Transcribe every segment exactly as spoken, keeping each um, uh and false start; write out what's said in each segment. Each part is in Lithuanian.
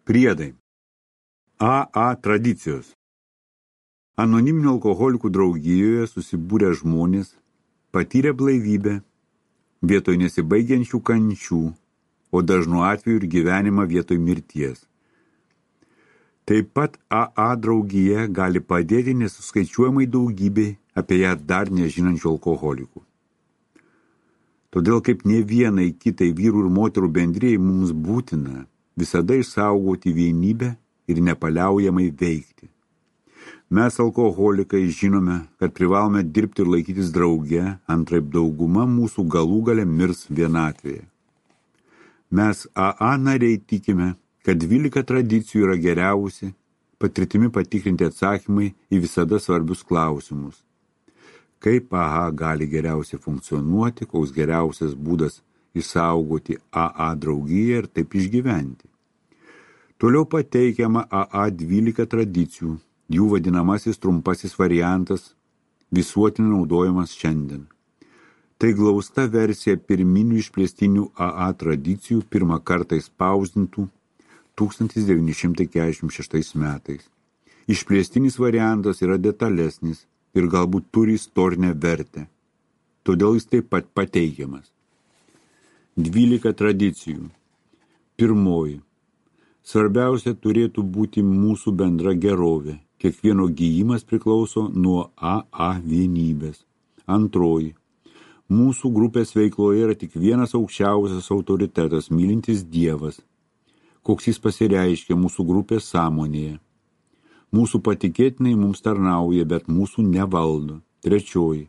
Priedai. A A tradicijos. Anoniminių alkoholikų draugijoje susibūrę žmonės patyrė blaivybę vietoj nesibaigiančių kančių, o dažnu atveju ir gyvenimą vietoj mirties. Taip pat A A draugija gali padėti nesuskaičiuojamai daugybei apie ją dar nežinančių alkoholikų. Todėl kaip ne vienai kitai vyrų ir moterų bendrijai mums būtina visada išsaugoti vienybę ir nepaliaujamai veikti. Mes alkoholikai žinome, kad privalome dirbti ir laikytis drauge, antraip dauguma mūsų galų gale mirs vienatvėje. Mes A A nariai tikime, kad dvylika tradicijų yra geriausi, patirtimi patikrinti atsakymai į visada svarbius klausimus. Kaip A A gali geriausiai funkcionuoti, koks geriausias būdas išsaugoti A A draugiją ir taip išgyventi. Toliau pateikiama A A dvylika tradicijų, jų vadinamasis trumpasis variantas, visuotinai naudojamas šiandien. Tai glausta versija pirminių išplėstinių A A tradicijų pirmą kartą spausdintų tūkstantis devyni šimtai keturiasdešimt šeštais metais. Išplėstinis variantas yra detalesnis ir galbūt turi istorinę vertę, todėl jis taip pat pateikiamas. dvylika tradicijų. Pirmoji. Svarbiausia turėtų būti mūsų bendra gerovė. Kiekvieno gyjimas priklauso nuo A A vienybės. Antroji. Mūsų grupės veikloje yra tik vienas aukščiausias autoritetas, mylintis Dievas, koks jis pasireiškia mūsų grupės sąmonėje. Mūsų patikėtinai mums tarnauja, bet mūsų nevaldo. Trečioji.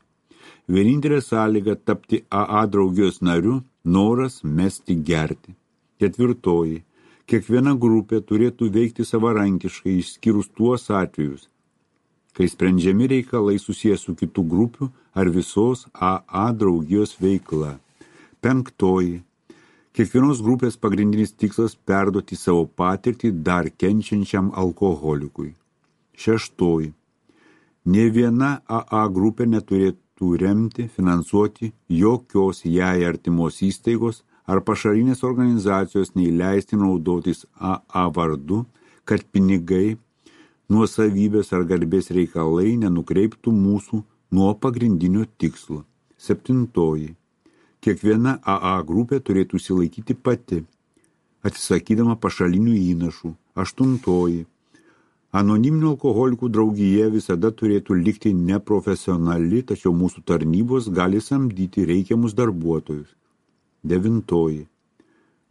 Vienintelė sąlyga tapti A A draugijos nariu – noras mesti gerti. Ketvirtoji. Kiekviena grupė turėtų veikti savarankiškai, išskyrus tuos atvejus, kai sprendžiami reikalai susijęs su kitų grupių ar visos A A draugijos veikla. Penktoji. Kiekvienos grupės pagrindinis tikslas perduoti savo patirtį dar kenčiančiam alkoholikui. Šeštoji. Nė viena A A grupė neturėtų remti, finansuoti jokios jai artimos įstaigos ar pašarinės organizacijos neįleisti naudotis A A vardu, kad pinigai, nuosavybės ar garbės reikalai nenukreiptų mūsų nuo pagrindinio tikslo. Septintoji. Kiekviena A A grupė turėtų įsilaikyti pati, atsisakydama pašalinių įnašų. Aštuntoji. Anoniminių alkoholikų draugija visada turėtų likti neprofesionali, tačiau mūsų tarnybos gali samdyti reikiamus darbuotojus. Devintoji.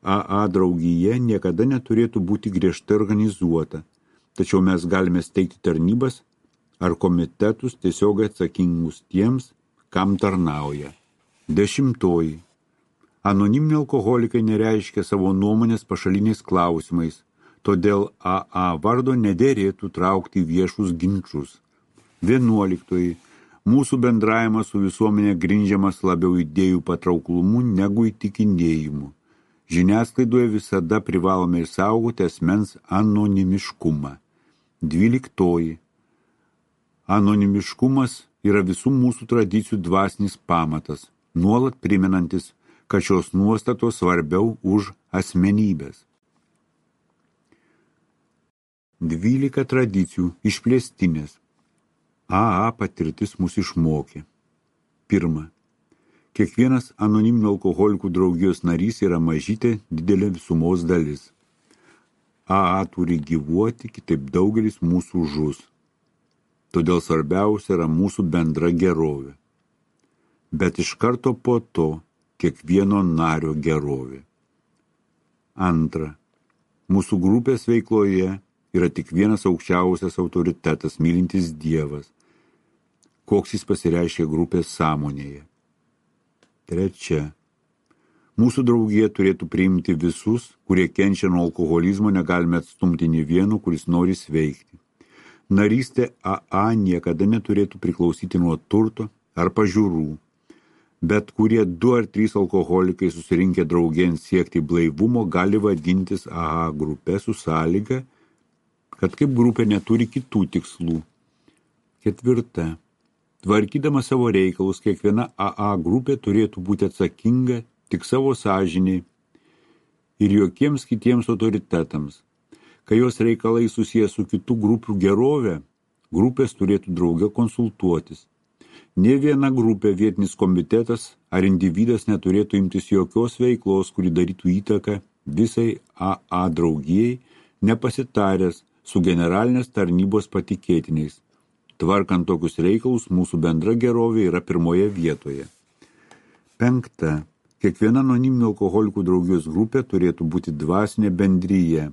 A A draugija niekada neturėtų būti griežtai organizuota, tačiau mes galime steigti tarnybas ar komitetus tiesiog atsakingus tiems, kam tarnauja. Dešimtoji. Anoniminiai alkoholikai nereiškia savo nuomonės pašaliniais klausimais, todėl A A vardo nederėtų traukti viešus ginčus. Vienuoliktoji. Mūsų bendravimas su visuomenė grindžiamas labiau idėjų patrauklumu negu įtikinėjimu. Žiniasklaidoje visada privalome išsaugoti asmens anonimiškumą. Dvyliktoji. Anonimiškumas yra visų mūsų tradicijų dvasinis pamatas, nuolat primenantis, kad šios nuostatos svarbiau už asmenybės. Dvylika tradicijų išplėstinės. A A patirtis mus išmokė. Pirma. Kiekvienas anoniminių alkoholikų draugijos narys yra mažytė didelė visumos dalis. A A turi gyvuoti, kitaip daugelis mūsų žus. Todėl svarbiausia yra mūsų bendra gerovė. Bet iš karto po to kiekvieno nario gerovė. Antra. Mūsų grupės veikloje yra tik vienas aukščiausias autoritetas, mylintis Dievas, koks jis pasireiškia grupės sąmonėje. Trečia. Mūsų draugija turėtų priimti visus, kurie kenčia nuo alkoholizmo, negalime atstumti nė vieno, kuris nori sveikti. Narystė A A niekada neturėtų priklausyti nuo turto ar pažiūrų, bet kurie du ar trys alkoholikai susirinkę draugėn siekti blaivumo gali vadintis A A grupe su sąlyga, kad kaip grupė neturi kitų tikslų. Ketvirta. Tvarkydama savo reikalus, kiekviena A A grupė turėtų būti atsakinga tik savo sąžiniai ir jokiems kitiems autoritetams. Kai jos reikalai susijęs su kitų grupių gerovė, grupės turėtų drauge konsultuotis. Nė viena grupė, vietinis komitetas ar individas neturėtų imtis jokios veiklos, kuri darytų įtaką visai A A draugijai, nepasitaręs su generalinės tarnybos patikėtiniais. Tvarkant tokius reikalus, mūsų bendra gerovė yra pirmoje vietoje. Penkta. Kiekviena anoniminių alkoholikų draugijos grupė turėtų būti dvasinė bendryje,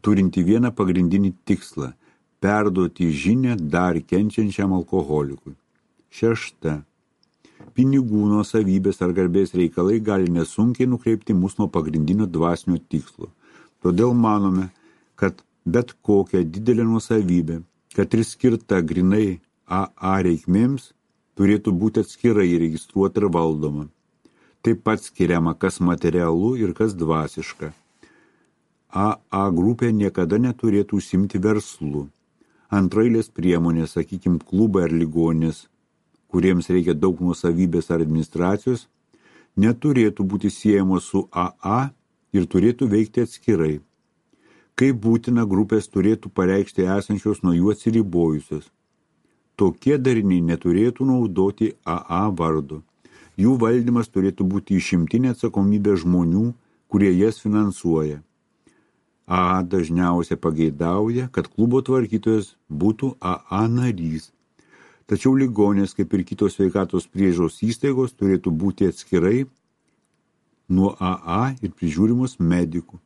turinti vieną pagrindinį tikslą – perduoti žinią dar kenčiančiam alkoholikui. Šešta. Pinigų nuosavybės ar garbės reikalai gali nesunkiai nukreipti mus nuo pagrindinio dvasinio tikslo. Todėl manome, kad bet kokia didelė nuosavybė, kad ir skirta grinai A A reikmėms, turėtų būti atskirai registruota ir valdoma. Taip pat skiriama, kas materialu ir kas dvasiška. A A grupė niekada neturėtų užsimti verslu. Antrailės priemonės, sakykim, klubai ar ligoninės, kuriems reikia daug nuosavybės ar administracijos, neturėtų būti siejamos su A A ir turėtų veikti atskirai. Kaip būtina, grupės turėtų pareikšti esančios nuo jų atsiribojusios. Tokie dariniai neturėtų naudoti A A vardo. Jų valdymas turėtų būti išimtinė atsakomybė žmonių, kurie jas finansuoja. A A dažniausiai pageidauja, kad klubo tvarkytojas būtų A A narys. Tačiau ligonės, kaip ir kitos sveikatos priežiūros įstaigos, turėtų būti atskirai nuo A A ir prižiūrimos medikų.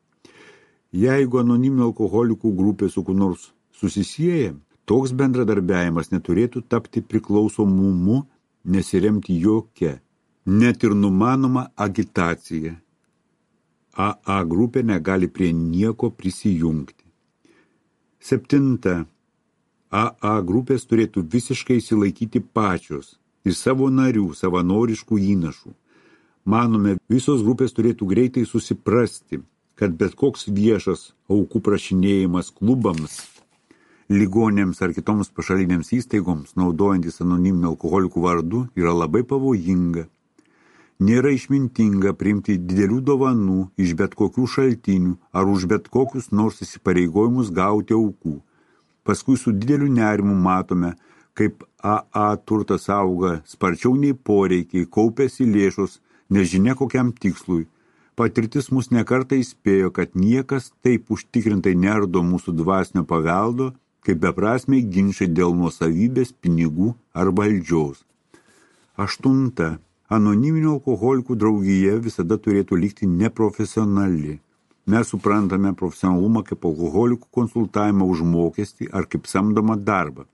Jeigu anoniminių alkoholikų grupė su kuo nors susisieja, toks bendradarbiavimas neturėtų tapti priklausomumu, nesiremti jokia, net ir numanoma agitacija. A A grupė negali prie nieko prisijungti. Septinta. A A grupės turėtų visiškai įsilaikyti pačios iš savo narių savanoriškų įnašų. Manome, visos grupės turėtų greitai susiprasti, kad bet koks viešas aukų prašinėjimas klubams, ligonėms ar kitoms pašalinėms įstaigoms, naudojantis anoniminių alkoholikų vardu, yra labai pavojinga. Nėra išmintinga priimti didelių dovanų iš bet kokių šaltinių ar už bet kokius nors įsipareigojimus gauti aukų. Paskui su dideliu nerimu matome, kaip A A turtas auga sparčiau nei poreikiai, kaupėsi lėšos, nežinia kokiam tikslui. Patirtis mus nekartą įspėjo, kad niekas taip užtikrintai neardo mūsų dvasinio paveldo, kaip beprasmiai ginčai dėl nuosavybės, pinigų ar valdžiaus. Aštunta. Anoniminių alkoholikų draugija visada turėtų likti neprofesionali. Mes suprantame profesionalumą kaip alkoholikų konsultavimą už mokestį ar kaip samdomą darbą.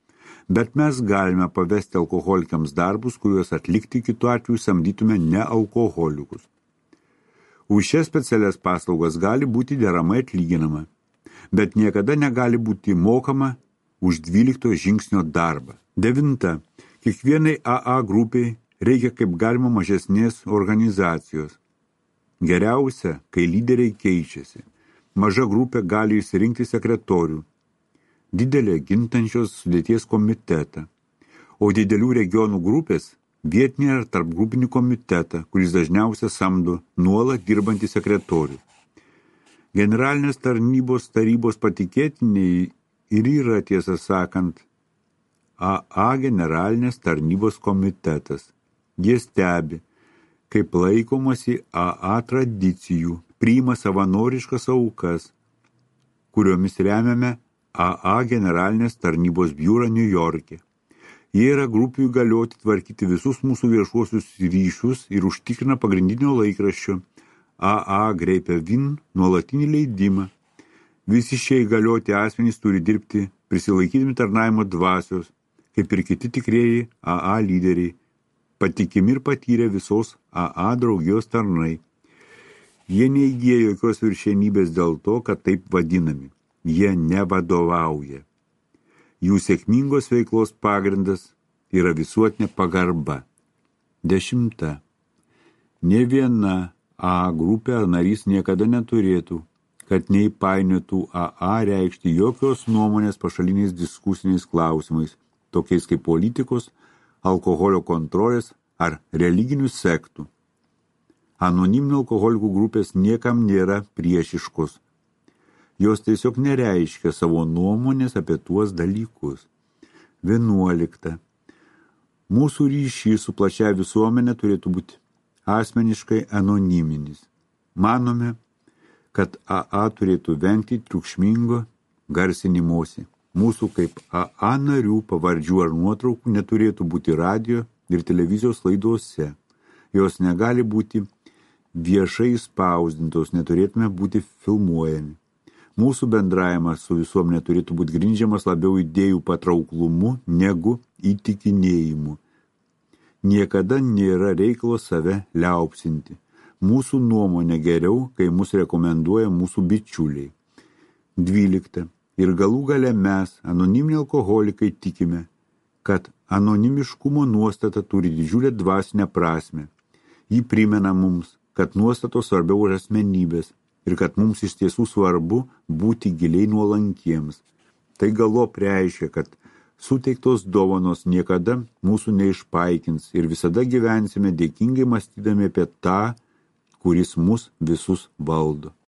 Bet mes galime pavesti alkoholikams darbus, kuriuos atlikti kitu atveju samdytume ne alkoholikus. Už šias specialias paslaugas gali būti deramai atlyginama, bet niekada negali būti mokama už dvylikto žingsnio darbą. Devinta. Kiekvienai A A grupiai reikia kaip galima mažesnės organizacijos. Geriausia, kai lyderiai keičiasi. Maža grupė gali išsirinkti sekretorių, didelė gintančios sudėties komitetą, o didelių regionų grupės vietinį ar tarpgrupinį komitetą, kuris dažniausiai samdo nuolat dirbantį sekretorių. Generalinės tarnybos tarybos patikėtiniai ir yra, tiesą sakant, A A generalinės tarnybos komitetas. Jie stebi, kaip laikomasi A A tradicijų, priima savanoriškas aukas, kuriomis remiame A A generalinės tarnybos biurą Niujorke. Jie yra grupių įgalioti tvarkyti visus mūsų viešuosius ryšius ir užtikrina pagrindinio laikraščio A A Greipė Vin nuolatinį leidimą. Visi šie įgalioti asmenys turi dirbti prisilaikydami tarnavimo dvasios, kaip ir kiti tikrieji A A lyderiai, patikimi ir patyrę visos A A draugijos tarnai. Jie neįgyja jokios viršenybės dėl to, kad taip vadinami. Jie nevadovauja. Jų sėkmingos veiklos pagrindas yra visuotinė pagarba. Dešimta. Nė viena A A grupė ar narys niekada neturėtų, kad neįpainiotų A A reikšti jokios nuomonės pašaliniais diskusiniais klausimais, tokiais kaip politikos, alkoholio kontrolės ar religinių sektų. Anoniminių alkoholikų grupės niekam nėra priešiškos. Jos tiesiog nereiškia savo nuomonės apie tuos dalykus. Vienuolikta. Mūsų ryšys su plačia visuomenė turėtų būti asmeniškai anoniminis. Manome, kad A A turėtų vengti triukšmingo garsinimosi. Mūsų kaip A A narių pavardžių ar nuotraukų neturėtų būti radio ir televizijos laidose. Jos negali būti viešai spausdintos, neturėtume būti filmuojami. Mūsų bendravimas su visuomenė turėtų būti grindžiamas labiau idėjų patrauklumu negu įtikinėjimu. Niekada nėra reikalo save liaupsinti. Mūsų nuomonė geriau, kai mus rekomenduoja mūsų bičiuliai. Dvylikta. Ir galų gale mes, anoniminiai alkoholikai, tikime, kad anonimiškumo nuostata turi didžiulę dvasinę prasmę. Ji primena mums, kad nuostatos svarbiau už asmenybės ir kad mums iš tiesų svarbu būti giliai nuolankiems. Tai galop reiškia, kad suteiktos dovanos niekada mūsų neišpaikins ir visada gyvensime dėkingai mąstydami apie tą, kuris mus visus valdo.